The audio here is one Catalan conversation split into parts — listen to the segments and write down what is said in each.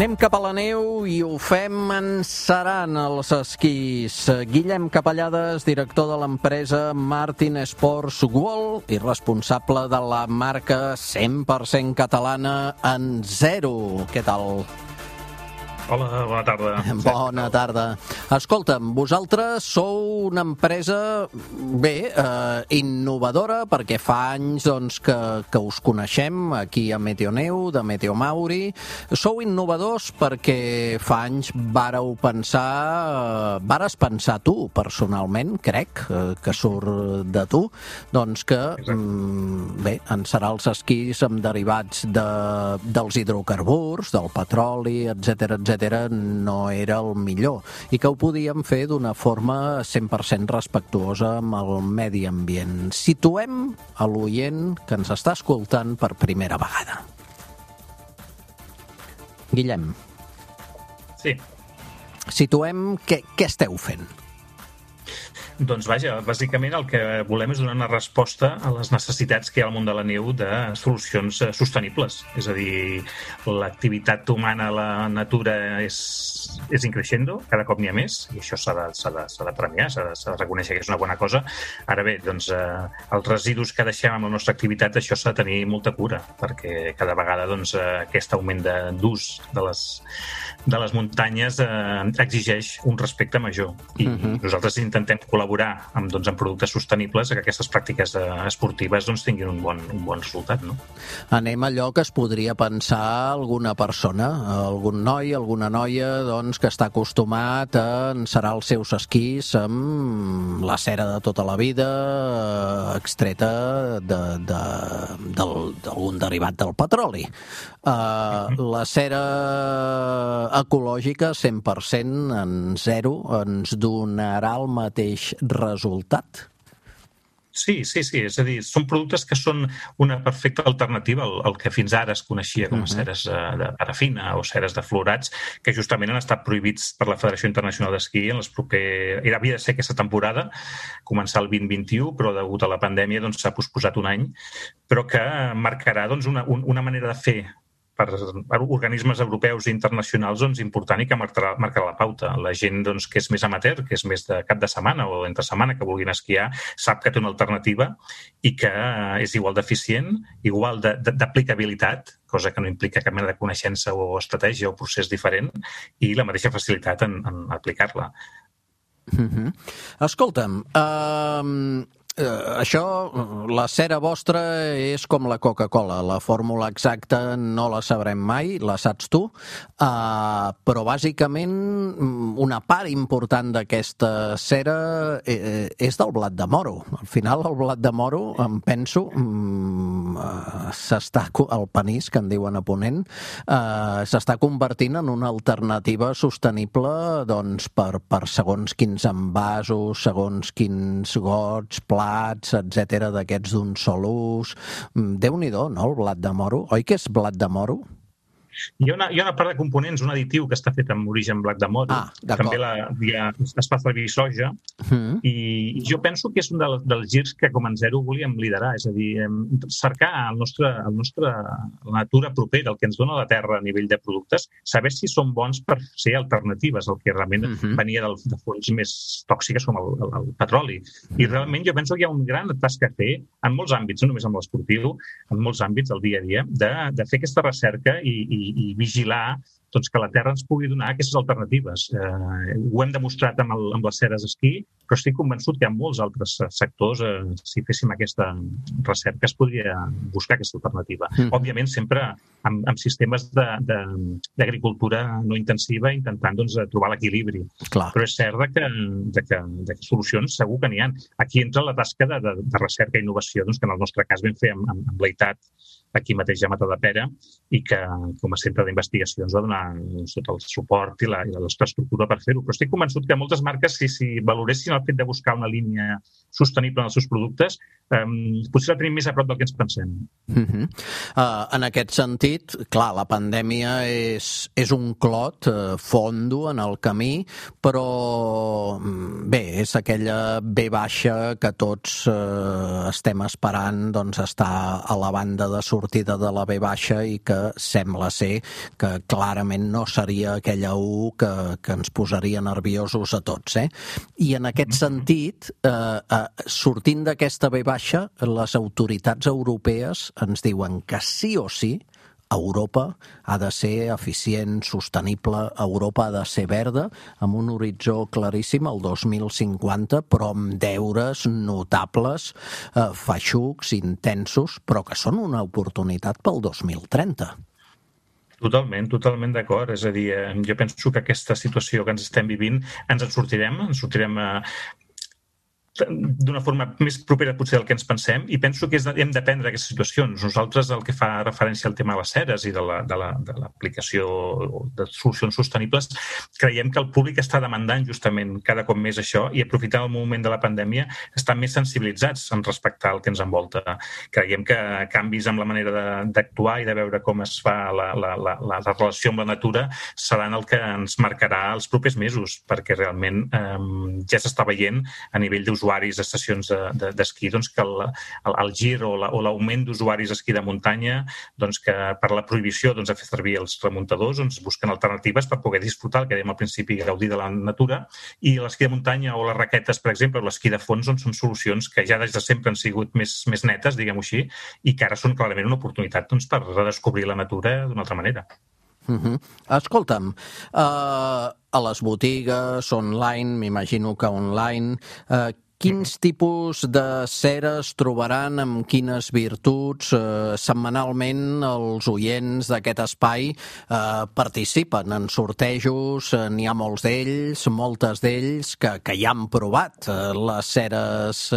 Anem cap a la neu i ho fem encerant els esquís. Guillem Capellades, director de l'empresa Martin Sports World i responsable de la marca 100% catalana Enzero. Què tal? Hola, bona tarda. Bona tarda. Escolta'm, vosaltres sou una empresa, innovadora, perquè fa anys que us coneixem aquí a Meteoneu, de Meteomauri. Sou innovadors perquè fa anys vares pensar tu, personalment, crec, que surt de tu, doncs que, encerar els esquís amb derivats dels hidrocarburs, del petroli, etcètera, no era el millor i que ho podíem fer d'una forma 100% respectuosa amb el medi ambient. Situem a l'oient que ens està escoltant per primera vegada. Guillem. Sí. Situem què esteu fent. Doncs vaja, bàsicament el que volem és donar una resposta a les necessitats que hi ha al món de la neu de solucions sostenibles. És a dir, l'activitat humana a la natura és increixendo, cada cop n'hi ha més, i això s'ha de premiar, s'ha de reconèixer que és una bona cosa. Ara bé, doncs, els residus que deixem amb la nostra activitat, això s'ha de tenir molta cura, perquè cada vegada doncs, aquest augment d'ús de les muntanyes exigeix un respecte major. I nosaltres intentem col·laborar amb productes sostenibles que aquestes pràctiques esportives tinguin un bon resultat. No? Anem a allò que es podria pensar alguna persona, algun noi, alguna noia que està acostumat a encerar els seus esquís amb la cera de tota la vida extreta d'algun derivat del petroli. La cera ecològica 100% en zero ens donarà el mateix resultat? Sí. És a dir, són productes que són una perfecta alternativa al que fins ara es coneixia com a ceres de parafina o ceres de fluorats, que justament han estat prohibits per la Federació Internacional d'Esquí en les havia de ser aquesta temporada, començar el 2021, però degut a la pandèmia s'ha posposat un any, però que marcarà una manera de fer per organismes europeus i internacionals important i que marcarà la pauta. La gent que és més amateur, que és més de cap de setmana o entre setmana que vulguin esquiar, sap que té una alternativa i que és igual d'eficient, igual d'aplicabilitat, cosa que no implica cap mena de coneixença o estratègia o procés diferent, i la mateixa facilitat en aplicar-la. Escolta'm, això, la cera vostra és com la Coca-Cola. La fórmula exacta no la sabrem mai, la saps tu, però bàsicament una part important d'aquesta cera és del blat de moro. Al final el blat de moro, em penso, el panís, que en diuen a Ponent, s'està convertint en una alternativa sostenible per segons quins envasos, segons quins gots, plats, etcètera, d'aquests d'un sol ús. Déu-n'hi-do, no?, el blat de moro. Oi que és blat de moro? Hi ha una part de components, un additiu que està fet amb origen blat de moro. També es fa servir soja. I jo penso que és un dels girs que com a Enzero volíem liderar. És a dir, cercar la natura propera, el que ens dona la terra a nivell de productes, saber si són bons per ser alternatives al que realment venia de fonts més tòxiques com el petroli. I realment jo penso que hi ha un gran tasca a fer en molts àmbits, no només en l'esportiu, en molts àmbits del dia a dia, de fer aquesta recerca i vigilar que la Terra ens pugui donar aquestes alternatives. Ho hem demostrat amb les ceres d'esquí, però estic convençut que hi ha molts altres sectors, si féssim aquesta recerca, es podria buscar aquesta alternativa. Òbviament, sempre amb sistemes d'agricultura no intensiva, intentant trobar l'equilibri. Però és cert que solucions segur que n'hi ha. Aquí entra la tasca de recerca i innovació, que en el nostre cas vam fer amb l'EITAT, aquí mateix a Matadepera, i que com a centre d'investigació ens va donar tot el suport i la nostra estructura per fer-ho. Però estic convençut que moltes marques, si valoressin el fet de buscar una línia sostenible en els seus productes, potser la tenim més a prop del que ens pensem. En aquest sentit, clar, la pandèmia és un clot fondo en el camí, però bé, és aquella V baixa que tots estem esperant, doncs està a la banda de sortida de la V baixa i que sembla ser que clarament no seria aquella U que ens posaria nerviosos a tots, I en aquest sentit, sortint d'aquesta V baixa, les autoritats europees ens diuen que sí o sí Europa ha de ser eficient, sostenible, Europa ha de ser verda, amb un horitzó claríssim el 2050, però amb deures notables, feixucs, intensos, però que són una oportunitat pel 2030. Totalment d'acord. És a dir, jo penso que aquesta situació que ens estem vivint ens en sortirem d'una forma més propera potser del que ens pensem, i penso que hem d'aprendre aquestes situacions. Nosaltres, el que fa referència al tema de les ceres i de l'aplicació de solucions sostenibles, creiem que el públic està demandant justament cada cop més això, i aprofitant el moment de la pandèmia estan més sensibilitzats en respectar el que ens envolta. Creiem que canvis en la manera d'actuar i de veure com es fa la relació amb la natura seran el que ens marcarà els propers mesos, perquè realment ja s'està veient a nivell d'usuaris d'estacions d'esquí, doncs que el gir o l'augment d'usuaris d'esquí de muntanya, doncs que per la prohibició de fer servir els remuntadors, doncs busquen alternatives per poder disfrutar, el que dèiem al principi, gaudir de la natura, i l'esquí de muntanya o les raquetes, per exemple, o l'esquí de fons, doncs són solucions que ja des de sempre han sigut més netes, diguem-ho així, i que ara són clarament una oportunitat per redescobrir la natura d'una altra manera. Escolta'm, a les botigues, online, m'imagino que online, quins tipus de ceres trobaran, amb quines virtuts? Setmanalment els oients d'aquest espai participen en sortejos, n'hi ha molts d'ells, moltes d'ells que ja han provat les ceres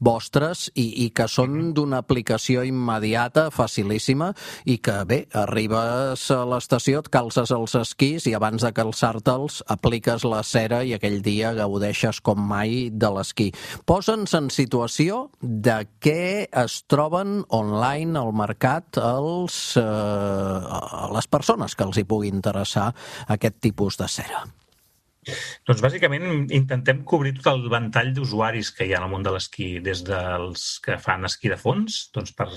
vostres i que són d'una aplicació immediata, facilíssima, i que bé, arribes a l'estació, et calces els esquís i abans de calçar-te'ls apliques la cera i aquell dia gaudeixes com mai de l'esquí. Posa'ns en situació de què es troben online al mercat les persones que els hi pugui interessar aquest tipus de cera. Doncs bàsicament intentem cobrir tot el ventall d'usuaris que hi ha en el món de l'esquí, des dels que fan esquí de fons, doncs per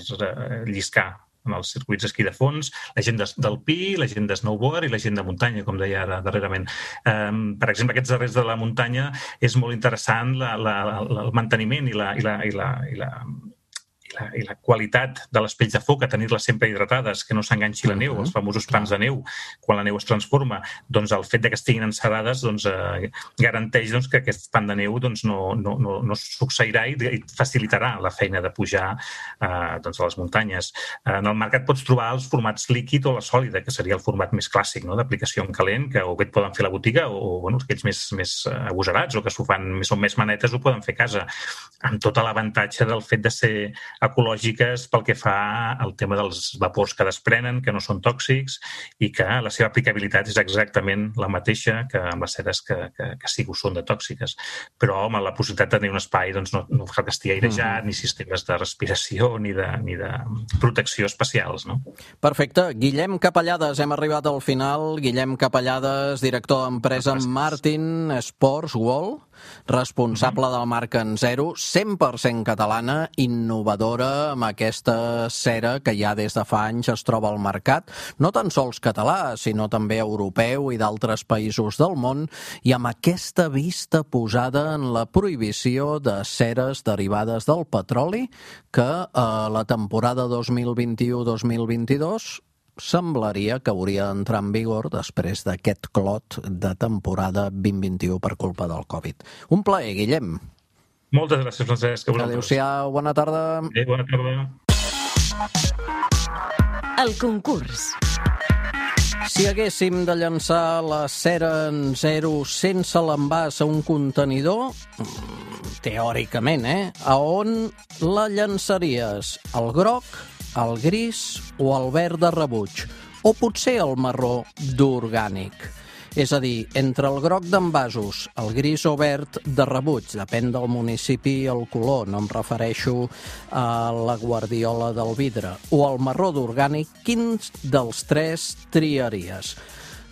lliscar en els circuits d'esquí de fons, la gent d'alpí, la gent de snowboard i la gent de muntanya, com deia ara darrerament. Per exemple, aquests darrers de la muntanya és molt interessant el manteniment i la qualitat de les pells de foca, tenir-les sempre hidratades, que no s'enganxi la neu, els famosos pans de neu, quan la neu es transforma, doncs el fet que estiguin encerades garanteix que aquest pan de neu no succeirà i facilitarà la feina de pujar a les muntanyes. En el mercat pots trobar els formats líquid o la sòlida, que seria el format més clàssic d'aplicació en calent, que o bé et poden fer a la botiga o aquells més agosarats o que s'ho fan, són més manetes, ho poden fer a casa, amb tot l'avantatge del fet de ser ecològiques pel que fa al tema dels vapors que desprenen, que no són tòxics i que la seva aplicabilitat és exactament la mateixa que amb les ceres que sí que ho són de tòxiques. Però, home, la possibilitat de tenir un espai no cal que estigui airejat, ni sistemes de respiració, ni de protecció especials, no? Perfecte. Guillem Capellades, hem arribat al final. Guillem Capellades, director d'empresa Martin Sports World, responsable de la marca Enzero, 100% catalana, innovadora, amb aquesta cera que ja des de fa anys es troba al mercat, no tan sols català, sinó també europeu i d'altres països del món, i amb aquesta vista posada en la prohibició de ceres derivades del petroli que a la temporada 2021-2022 semblaria que hauria d'entrar en vigor després d'aquest clot de temporada 2021 per culpa del Covid. Un plaer, Guillem. Moltes gràcies, Francesc. Adéu-siau, bona tarda. Bona tarda. El concurs. Si haguéssim de llançar la cera Enzero sense l'envàs a un contenidor, teòricament, a on la llançaries? Al groc, al gris o al verd de rebuig? O potser al marró d'orgànic? És a dir, entre el groc d'envasos, el gris o verd de rebuig, depèn del municipi i el color, no em refereixo a la guardiola del vidre, o el marró d'orgànic, quins dels tres triaries?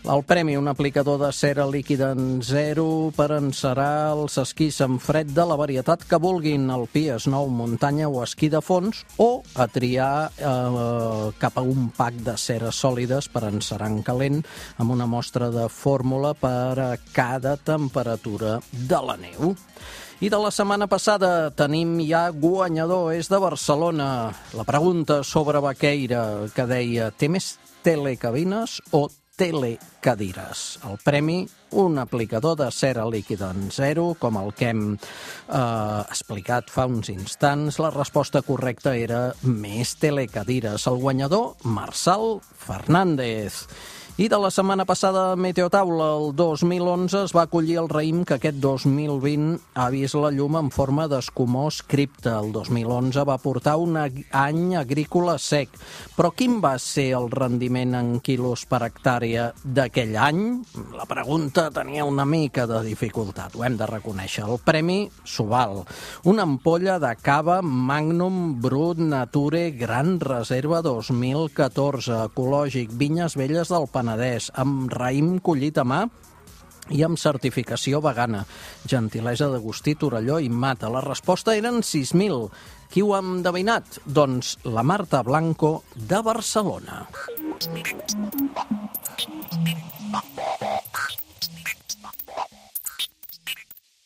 El premi, un aplicador de cera líquida en zero per encerar els esquís en fred de la varietat que vulguin, alpí, snow, muntanya o esquí de fons, o a triar cap a un pack de ceres sòlides per encerar en calent amb una mostra de fórmula per a cada temperatura de la neu. I de la setmana passada tenim ja guanyador, és de Barcelona. La pregunta sobre Baqueira, que deia, té més telecabines o telecadires? El premi, un aplicador de cera líquida en zero, com el que hem explicat fa uns instants. La resposta correcta era més telecadires. El guanyador, Marçal Fernández. I de la setmana passada, Meteotaula, el 2011, es va acollir el raïm que aquest 2020 ha vist la llum en forma d'escumós cripta. El 2011 va portar un any agrícola sec. Però quin va ser el rendiment en quilos per hectàrea d'aquell any? La pregunta tenia una mica de dificultat, ho hem de reconèixer. El premi s'ho val. Una ampolla de cava Magnum Brut Nature Gran Reserva 2014, ecològic, Vinyes Velles del Penedès, amb raïm collit a mà i amb certificació vegana. Gentilesa d'Agustí, Torelló i Mata. La resposta eren 6.000. Qui ho ha endevinat? Doncs la Marta Blanco, de Barcelona.